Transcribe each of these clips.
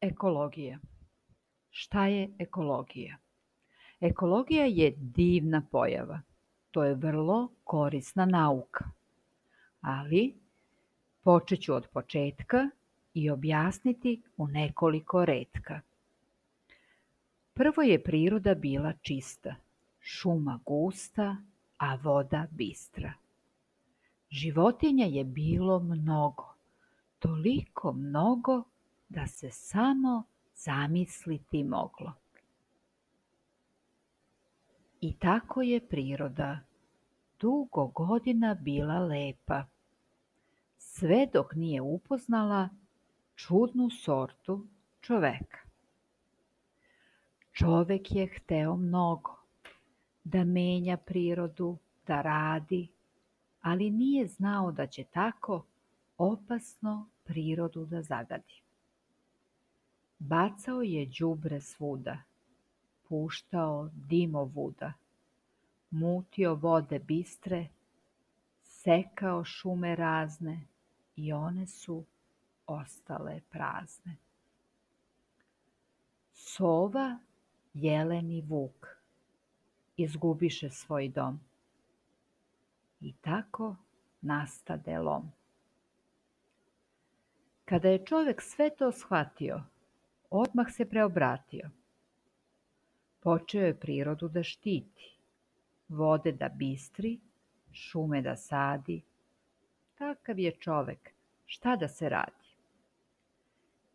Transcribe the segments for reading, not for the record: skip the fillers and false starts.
Ekologija. Šta je ekologija? Ekologija je divna pojava. To je vrlo korisna nauka. Ali počet ću od početka i objasniti u nekoliko retka. Prvo je priroda bila čista, šuma gusta, a voda bistra. Životinja je bilo mnogo, toliko mnogo da se samo zamisliti moglo. I tako je priroda dugo godina bila lepa, sve dok nije upoznala čudnu sortu čoveka. Čovek je hteo mnogo, da menja prirodu, da radi, ali nije znao da će tako opasno prirodu da zagadi. Bacao je đubre svuda, puštao dimovuda, mutio vode bistre, sekao šume razne i one su ostale prazne. Sova, jelen i vuk izgubiše svoj dom i tako nastade lom. Kada je čovek sve to shvatio, odmah se preobratio. Počeo je prirodu da štiti, vode da bistri, šume da sadi. Takav je čovek, šta da se radi?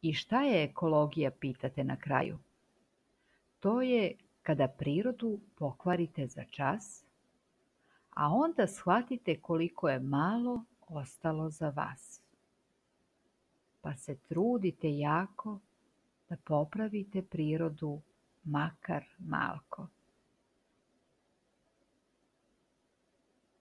I šta je ekologija, pitate na kraju? To je kada prirodu pokvarite za čas, a onda shvatite koliko je malo ostalo za vas. Pa se trudite jako da popravite prirodu makar malko.